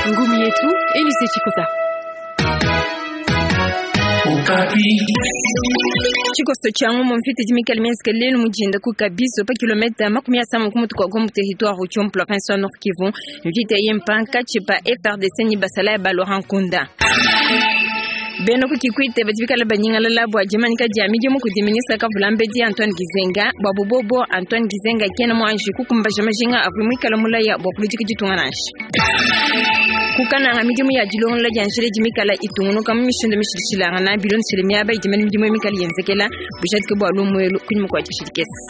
Ngumi yetu Elise Chikota. Tshikoso tshia ngumu mvita idi mikale mienzeke lelu mu dinda ku Kabiso pa kilometa 50 ku mutu kua Goma mu territoire Rutshuru mu province wa Nord Kivu. Mvita eyi mpankatshi pa FARDC ne basalayi ba Laurent Nkunda. Bena ku Kikwit badi bikale banyingalala bua dimanyika dia midimu kudi ministre kavulambedi Antoine Gizenga. Bua bubobo, Antoine Gizenga kena muanji kukumbaja majinga avua muikale mulaya bua kuludika ditunga nansha. Ku Kananga, midimu ya dilongolola dia njila idi mikale itungunuka mu mishindu mishilashilangana bilondeshile miaba idi mene midimu mikale yenzekela. Bujadiki bua lumu elu kunyima kua dishi dikese.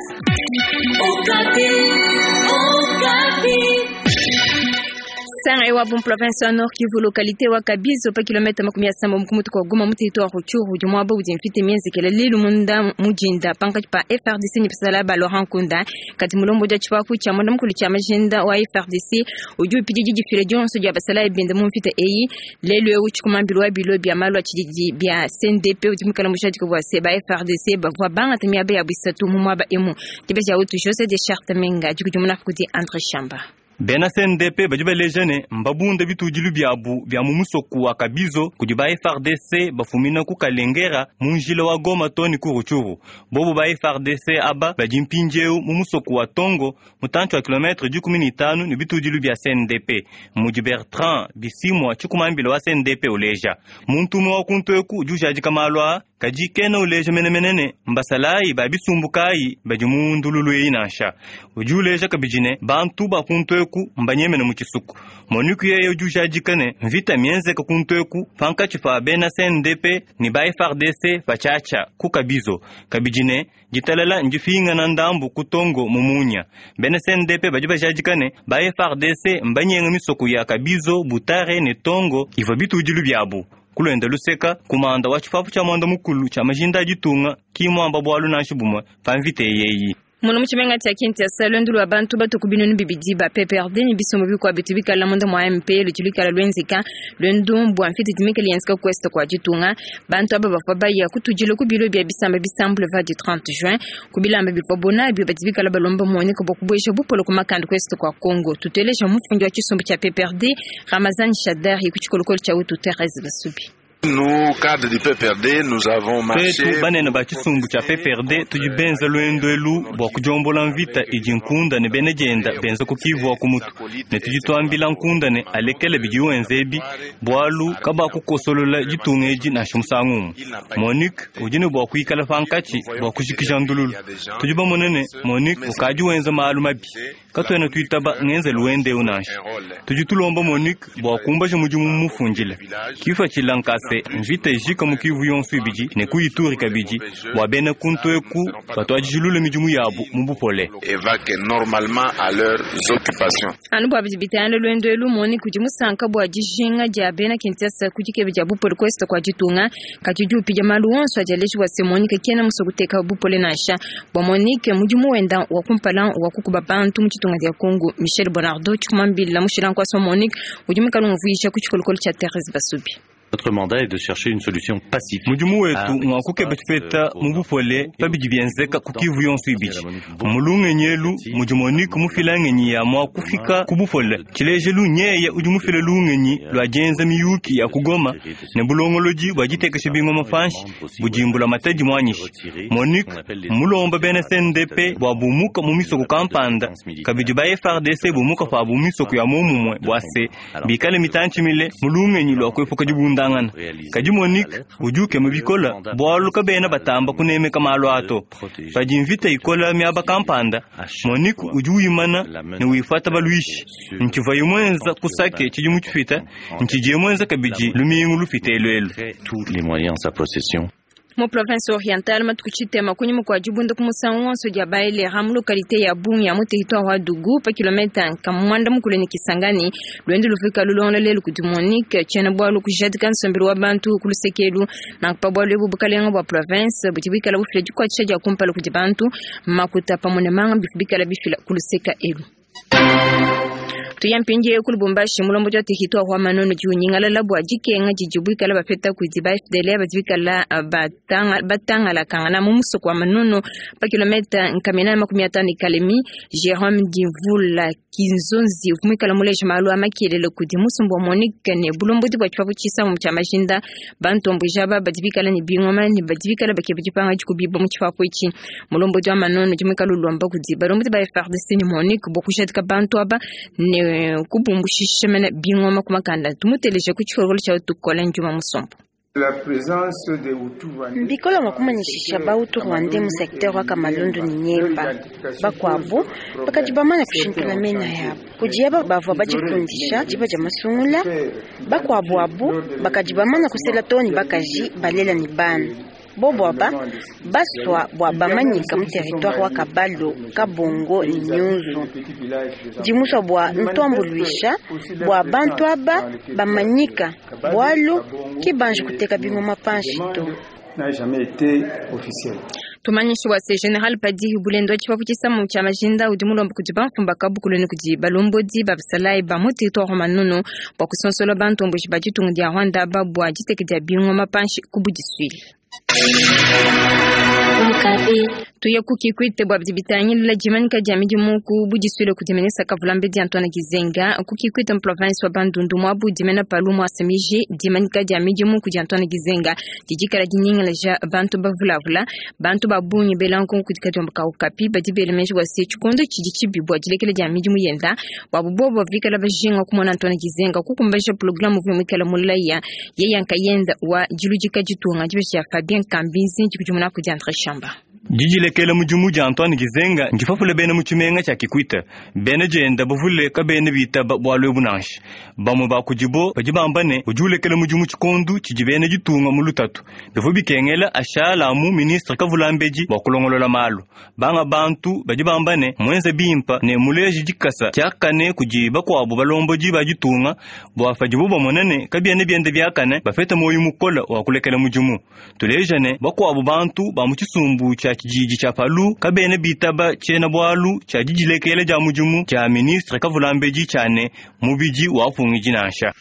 Sanga wa mu province wa Nord Kivu localité wa Kabizo pa kilomita 70 ku mutu kua Goma mu territoire Rutshuru udi muaba udi mvita mienzekela lelu munda mu dinda pankatshi pa FARDC ne basalayi ba Laurent Nkunda. Kadi mulombodi wa tshipapu tshia munda mukulu tshia majinda wa FARDC udi upidia didifila dionso dia basalayi bende mu mvita eyi. Lelu eu tshikumambilu wa bilo bia malu a tshididi bia CNDP udi muikale mujadike bua se ba FARDC bavua bangata miaba yabu isatu mu muaba emu. Dibeji wetu José de Charte Menga dikudimuna kudi André Shamba. Bena CNDP badi baleja ne mbabunda bitudilu biabu bia mu musoko wa Kabizo kudi ba FARDC bafumina ku Kalengera mu njila wa Goma too ne ku Rutshuru. Bobu ba FARDC aba badi mpindieu mu musoko wa Tongo mutantshi wa kilometre 15 ne bitudilu bia CNDP. Mudi Bertrand Bisimwa tshikumambila wa CNDP uleja. Muntu umue wa kuntu eku udi ujadika malu aa kadi kena uleja menemene ne mbasalayi ba bisumbu kayi badi mu ndululu eyi nansha. Udi uleja kabidi ne bantu ba kuntu eku mbanyemene mu tshisuku. MONUC yeye udi ujadika ne mvita mienzeka kuntu eku pankatshi pa bena CNDP ne ba FARDC patshiatshia ku Kabizo. Kabidi ne ditalala ndipingana ndambu ku Tongo mu munya. Bena CNDP badi bajadika ne ba FARDC mbanyenga misoko ya Kabizo, Butare ne Tongo ivua bitudilu biabu. Kulwenda luseka kumanda wa tshipapu tshia mwanda mukulu tshia majinda a ditunga ki muamba bualu nansha bumue pa mvita eyi. Muno mu tshimenga tshia Kinshasa, luendu lua bantu batu ku binunu bibidi ba PPRD ne bisumbu bikuabu bitu bikala munda mua MP ludi luikala luenzeka luendu bua mvita idi mikale yenzeka ku ouest kua ditunga. Bantu aba bavua baya kutudila ku bilo bia bisamba bisa boulevard du 30 juin ku bilamba bivua nabio badi bikala balomba MONUC bua kubueja bupole ku makanda ku est kua Congo. Tuteleja mufundi wa tshisumbu tshia PPRD Ramazan Shadary ku tshikolokolo tshia wetu Therese Basubi. Nous, cadres du PPRD, nous avons marché. Twetu banene ba tshisumbu tshia PPRD tudi benza luendu elu bua kudiombola mvita idi Nkunda ne bena dienda benza ku Kivu wa ku mutu ne tudi tuambila Nkunda ne alekele bidi wenza ebi bualu kabakukosolola ditunga edi nansha musangu umue. MONUC udi ne bua kuikala pankatshi bua kujikija ndululu. Tudi bamone ne MONUC ukadi wenza malu mabi, katuena tuitaba ngenzelu wende eu nansha. Tudi tulomba MONUC bua kumbaja mudimu mufundile kipatshila nkase mvita ijika mu Kivu yonso ibidi ne ku Ituri kabidi bua bena kuntu eku batuadijilule midimu yabu mu bupole. Et vaquent normalement à leurs occupations. Anu bua bidi bitangila luendu elu MONUC udi musanka bua dijinga dia bena Kinshasa ku dikeba dia bupole ku est kua ditunga kadi udi upidia malu onso adi aleja bua se MONUC kena musue kuteka bupole nansha. Bua MONUC mudimu wenda wa kumpala wa kukuba bantu mu ditunga dia Congo. Michel Bonardo tshikumambila mushila nkuasa wa MONUC udi muikale umvuija ku tshikolokolo tshia Therese Basubi. Notre mandat est de chercher une solution pacifique. Mudimu wetu ngwa kukeba tshipeta mu bupole pa bidi bienzeka ku Kivu yonso ibidi. Mu lungenyi elu mudi MONUC mufila ngenyi ya mua kufika ku bupole. Tshilejelu nyeye udi mufile lungenyi lua dienza miyuki ya ku Goma ne bulongolodi bua ditekesha bingoma panshi budi mbulamatadi muanyishe. MONUC mulomba bena CNDP bua bumuka mu misoko kampanda kabidi ba FARDC bumuka pabu mu misoko ya momumue bua se bikale mitantshi mile mu lungenyi lua kuepuka dibundangana. Kadi MONUC udi ukema bikola bualu kabena batamba kunemeka malu ato. Padi mvita ikola miaba kampanda, MONUC udi wimana ne wifata baluishi. Ntshivuaye muenza ku Sake tshidimu tshipita, ntshidiye muenza kabidi lumingu lupite elu elu. Tous les moyens en sa possession. Mu province orientale matuku tshitema kunyima kua dibunda ku musangu wonso dia baelera mu localité ya Bungi ya mu territoire wa Djugu pa kilomita nkamwanda mukulu ne Kisangani luendu lufika lulonda lelu kudi MONUC tshiena bualu kujadika nsombelu wa bantu ku lusekelu nanku pa bualu ebu bukalenga bua province budi bikala bufila dikuatshisha dia kumpala kudi bantu makuta pamue ne manga bifu bikala bifila ku luseka elu. Tuya mpindieu ku Lubumbashi, mulombodi wa territoire wa Manono udi unyingalala bua dikenga didibu bikala bapeta kudi ba FDLR badi bikala batangalakangana mu musoko wa Manono pa kilometa nkamina 50 Kalemi. Jerome Dimvula Kinzonzi uvua muikala muleja malu a makelele kudi musumba wa Monique ne bulombodi bua tshipapu tshisangu tshia majinda. Bantomboji aba badi bikala ne bingoma ne badi bikala bakeba dipanga dikubiba mu tshipapu etshi. Mulombodi wa Manono udi muikala ulomba kudi balombodi ba FARDC ne Monique bua kujadika bantu aba ne kubumbushisha mena bingoma ku makanda. Tumuteleje ku tshikolokolo tshia Tukola Njuma Musombo. Mbikola mua kumanyishisha ba Hutu Rwandais mu secteur wa Kamalundu ne Nyemba. Bakuabu bakadi bamana kushintula mena yabo kudi aba bavua badifundisha diba dia masungula. Bakuabu abu bakadi bamana kusela too ne bakaji balela ne bana. Bobo aba basua bua bamanyika mu territoire wa Kabalo, Kabongo ne Nyunzu. Dimusua bua ntuambuluisha bua bantu aba bamanyika bualu ki banji kuteka bingoma panshi to. Tumanyishi wa se General Padiri Bulendo wa tshipapu tshisamu tshia majinda udi mulomba kudi bamfumba kabukulu ne kudi balombodi ba basalayi ba mu territoire wa Manono bua kusonsola bantomboji ba ditunga dia Rwanda aba bua diteka dia bingoma panshi ku budisuile. Tuye ku Kikwit bua bidi bitangila dimanyika dia midimu ku budisuile kudi ministre Kavulambedi Antoine Gizenga. Ku Kikwit mu province wa Bandundu muabu dimena palu muasa miji dimanyika dia midimu kudi Antoine Gizenga didikala dinyingalaja bantu bavulavula bantu ba bungi bela nkonko kudi kadiomba ka Okapi badi bela meji bua se tshikondo tshidi tshibi bua dilekela dia midimu yenda bua bobo bikala bajinga kumona Antoine Gizenga kukumbaja programme uvua muikala mulaya yeye nkayenda wa diludika ditunga dibesha Fabien Kambinzi dikudimuna kudi Andre Shamba. Didilekela mudimu dia Antoine Gizenga ndipapula bena mu tshimenga tshia Kikwit. Bena dienda bavule kabena bitaba bualu ebu nansha. Bamue ba kudibo badi bamba ne udi ulekela mudimu tshikondu tshidi bena ditunga mu lutatu. Bivua bikengela ashala mu ministre Kavulambedi bua kulongolola malu. Banga bantu badi bamba ne muenze bimpa ne muleji dikasa tshiakane kudi bakuabu balombodi ba ditunga bua padibu bamona ne kabiena bienda biakane bapete muoyo mukole wa kulekela mudimu. Tuleja ne bakuabu bantu ba mu tshisumbu tshia tshididi tshia Palu kabena bitaba tshiena bualu tshia didilekela dia mudimu tshia ministre Kavulambedi tshia ne mubidi wa pungidi nansha.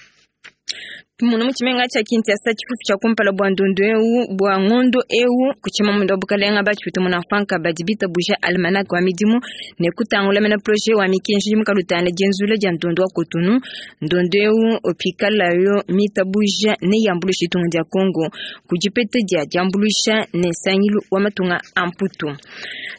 Muna mu tshimenga tshia Kinshasa tshifufu tshia kumpala bua ndondo eu bua ngondo eu kuchima mundo wa bukalenga batshipita muna franka badi bitabuja almanach wa midimu ne kutangula mena projet wa mikenji mukalutana dienzula dia ndondo wa Cotonou. Ndondo eu opikala yo mitabuja ne yambulusha ditunga dia Congo kudipete dia diambulusha ne sangilu wa matunga amputu.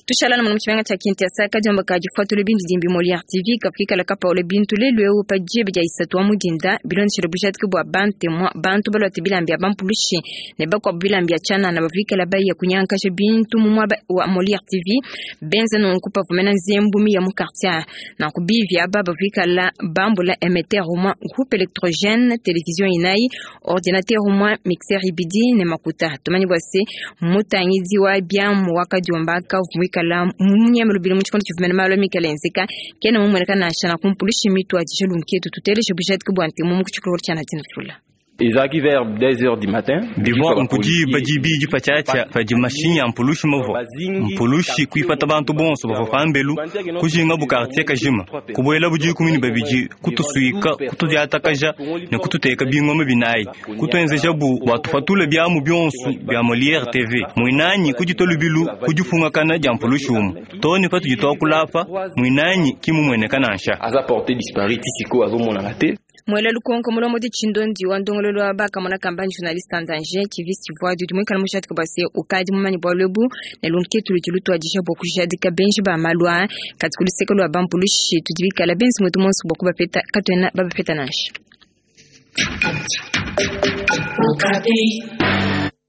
Tushala na muna mu tshimenga tshia Kinshasa kadiomba ka difuatula bindi dimbi Molière TV kafikala kapaula bintu lelu eu pa diebe dia isatu wa mudinda bilondeshela bujadiki bua bantemwa bantu balwate bilambi ya bampulushi ne bakwabu bilambi ya tshianana bavikala baya kunyankasha bintu mu muaba wa Molière TV benza nunku pavumena nzembumi ya mu quartier nanku bivi aba bavikala bambula émetteur umwa groupe électrogène télévision inayi ordinateur umwa mixeur ibidi ne makuta. Tumanyi bua se mutangidi wa biamu wakadiomba kavuikala munyeme lubili mu tshikondo tshivumena malu amikala enzeka kena mumueneka nansha na kumpulushi mitu adisha lunketu tuteleje bujadiki bua ntemu mu kutshikolokolo tshia Nadine Fula. Ezalaki vers 2h du matin. Bivua nkudi badibi dipatshiatshia padi mashinyi a mpulushi mavua mpulushi kuipata bantu bonso bavua pambelu kujinga bu quartier kajima kubuela budi 12 kutusuika kutudiatakaja ne kututeka bingoma binayi kutuenzeja bu bua tufatule biamu bionso bia Molière TV muinanyi kuditwa lubilu kudifungakana dia mpulushi umu too ne patudi tuakulapa muinanyi kimumueneka nansha. Aza porté disparu tisiko azomonana te. Mwela lukonko mulomo di tshindondi wa ndongololo wa bakamona kambani journaliste en danger tivisi voix du mwikala mushadika bua se ukadi mumanyi bua lwebu ne lunketu ludi lutuadija bua kujadika benji ba malu aa kati ku luseke lua bampulushi tudi bikala benzi mwetu monso bua kubapeta katuena babapeta nansha.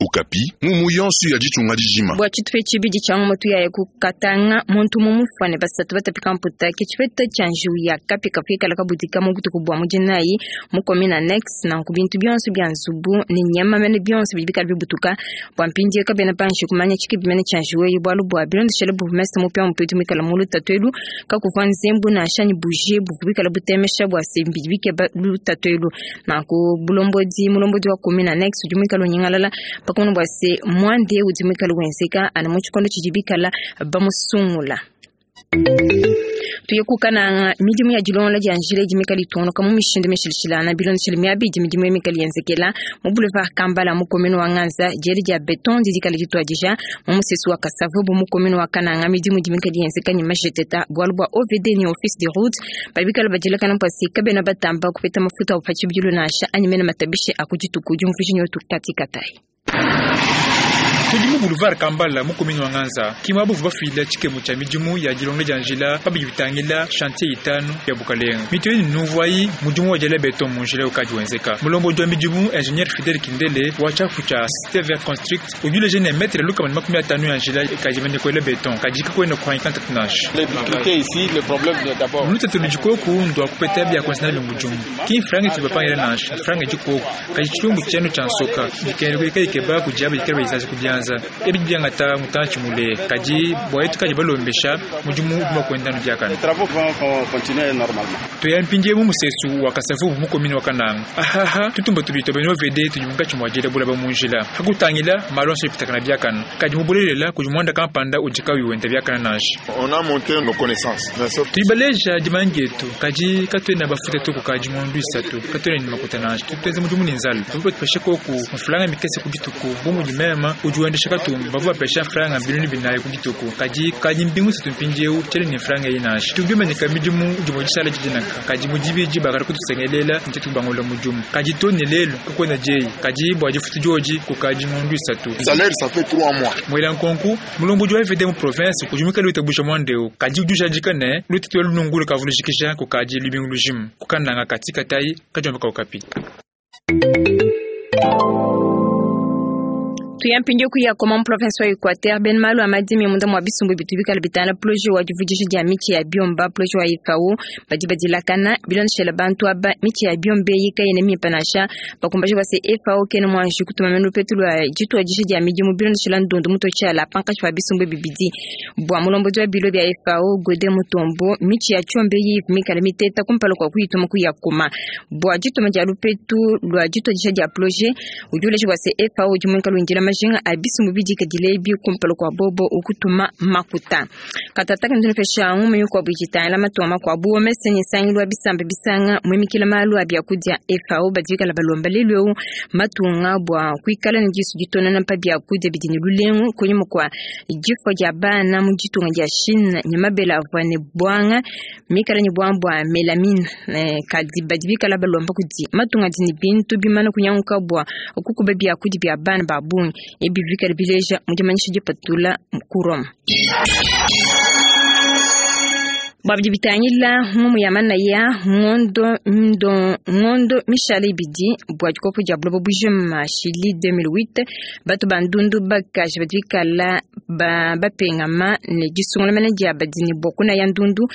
Okapi mumu yonso ya ditunga dijima bua tshitupa tshibidi tshia ngomo tuyaya kukatanga muntu mumufane basatu batapika mputa ke tshipeta tshia njiwu ya kapi kafikala kabudika mu butuku bua mudinayi mu commune annexe nanku bintu bionso bia nzubu ne nyama mene bionso bidi bikala bibutuka bua mpindieu kabena panshi kumanya tshikibi mene tshia njiwu eyi bualu bua bilondeshele bourgmestre mupia mupedi muikala mu lutatu elu kakuvua nzembu nansha ne bougie buvua bikala butemesha bua se bidi bikeba lutatu elu nanku bulombodi mulombodi wa commune annexe udi muikala unyingalala pakumona bua se mwande udi muikala wenzeka ana mu tshikondo tshidi bikala bamusungula. Tuye ku Kananga, midimu ya dilongola dia njila idi mikale itungunuka mu mishindu mishilashilangane bilondeshile miaba idi midimu eyi mikale yenzekela mu Boulevard Kambala mu commune wa Nganza. Diela dia beton didi dikale dituadija mu musesu wa Kasavubu mu commune wa Kananga. Midimu idi mikale yenzeka ne majeteta bualu bua OVD ne Office de route badi bikale badielakana bua se kabena batamba kupeta mafuta abu pa tshibidilu nansha anyi mene matabishi a ku dituku. Diumvuija nyotu Kati Katayi. Tudi mu Boulevard Kambala mu commune wa Nganza, ki muaba uvua bafila tshikemu tshia midimu ya dilonga dia njila pa bidi bitangila chantier itanu ya bukalenga. Mitu eyi nunvuayi mudimu wa diela beton mu njila ukadi wenzeka. Mulombodi wa midimu Ingenieur Fidel Kindele wa tshiapu tshia Cite Vert Construct udi uleja ne metre 150 ya njila ikadi mimane kuela beton, kadi kakuena kuhangika ntatu nansha. Lutatu ludi koku ndua kupeta bia kuenza nabi mudimu, ki mfranga itudi bapangila nansha, mfranga idi koku kadi tshilumbu tshienu tshia nsoka bikengela kuikala ikeba kudi aba bikale bayizaza ku bianza. Ebi biangata mutantshi mule, kadi bua etu kadi balombesha mudimu udi mua kuenda anu biakane. Tuya mpindieu mu musesu wa Kasavubu mu commune wa Kananga. Ahaha, tutumba tubidi tua bena OVD tudi munkatshi mua diela bulaba mu njila. Hakutangila malu onso apitakana biakane, kadi mu bulelela kudi muanda kampanda udi kauyi wenda biakane nansha. On a montré nos connaissances. Tudi baleja dimanya dietu, kadi katuena bafuta to kukadi ngondu isatu. Katuena ne makuta nansha. Tudi tuenza mudimu ne nzala. Bavua batupesha koku mfranga mikese ku dituku. Bu mudi meme udi wendesha katumba, bavua bapesha mfranga 4000 ku dituku. Kadi kukadi mbingu isatu mpindieu tshiena ne mfranga eyi nansha. Tudi bimanyika midimu dimue dishala didi nanka. Kadi mu dibidi bakadi kutusengelela ne tuetu kubangulula mudimu. Kadi too ne lelu kakuena dieyi. Kadi bua difutu diodi kukadi ngondu isatu. Salaire ça fait 3 mois. Muela nkonku mulombodi wa FD mu province udi muikale witabuja muanda eu, kadi udi ujadika ne lutatu elu nungu lukavua lujikija kukadi lubingu lujima. Ku Kananga Kati Katayi kadiomba ka Okapi. Tuya mpindieu ku Yakoma mu province wa Equateur, bena malu a madimi munda mua bisumbu bitu bikale bitangila projet wa divudija dia mitshi ya biomba, projet wa FAO, badi badilakana bilondeshela bantu aba mitshi ya biomba eyi kayena mimpe nansha. Bakumbaje bua se FAO kena muanji kutuma mene lupetu lua dituadija dia midimu bilondeshela ndondo mutotshiala pankatshi pa bisumbu bibidi. Bua mulombodi wa bilo bia FAO Gode Mutombo, mitshi ya tshiomba eyi ivua mikale miteta kumpala kua kuyituma ku Yakoma. Bua dituma dia lupetu lua dituadija dia projet, udi uleja bua se FAO udi muikale windila majinga a bisumbu bidikadile ebi kumpala kua bobo ukutuma makuta. Katata kintunupesha ngumu mikuabu idi itangila matunga makuabu. OMS ne nsangilu wa bisamba bisanga muimikila malu a biakudia FAO badi bikala balomba lelu eu matunga bua kuikala ne disu ditonana pa biakudia bidi ne lulengu kunyima kua difua dia bana mu ditunga dia Chine ne mabele avua ne buanga mikala ne buanga bua melamine. Kadi badi bikala balomba kudi matunga adi ne bintu bimana kunyanguka bua kukuba biakudia bia bana ba bungi. Ebi bikala bileja mu dimanyisha dipatula ku Rome. Bua bidi bitangila ngumu ya manaya, ngondo ndo ngondo mishale ibidi bua dikopo dia buloba bujima Chili 2008, batu ba ndundu bakaji badi bikala bapengama ne disungula mene dia badi ne bua kunaya ndundu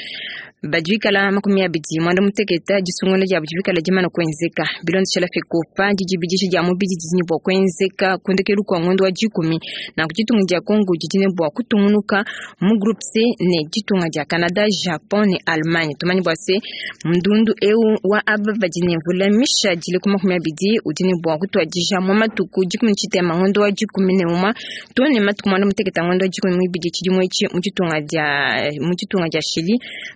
badi bikala 28. Disungula diabo dibikala dimana kuenzeka bilondeshela FECOFA. Didibidisha dia mubidi didi ne bua kuenzeka ku ndekelu kua ngondo wa dikumi. Nanku ditunga dia Congo didi ne bua kutungunuka mu groupe C ne ditunga dia Canada, Japon ne Allemagne. Tumanye bua se ndundu eu wa aba badi ne mvula mishadile ku 20 udi ne bua kutuadija mu matuku 13 ngondo wa 11 to ne matuku 16 ngondo wa 12 tshidimu etshi mu ditunga dia Chili.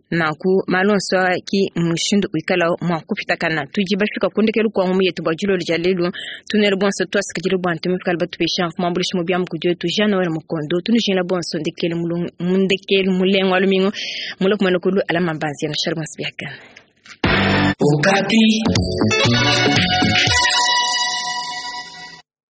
Nanku malu onso ki mushindu wikala mua kupitakana. Tudi bafika ku ndekelu kua ngumu yetu bua dilolo dia lelu. Tunele bonso tuasikidile bua ntumikala batupesha mfumu ambulishi mu biamu kudi wetu Jean Noel Mukondo. Tunujingila bonso ndekelu mulungu ndekelu mulengo wa lumingu mula kumana kulu alama mbanzi ya nashar bonso biakana. Okapi.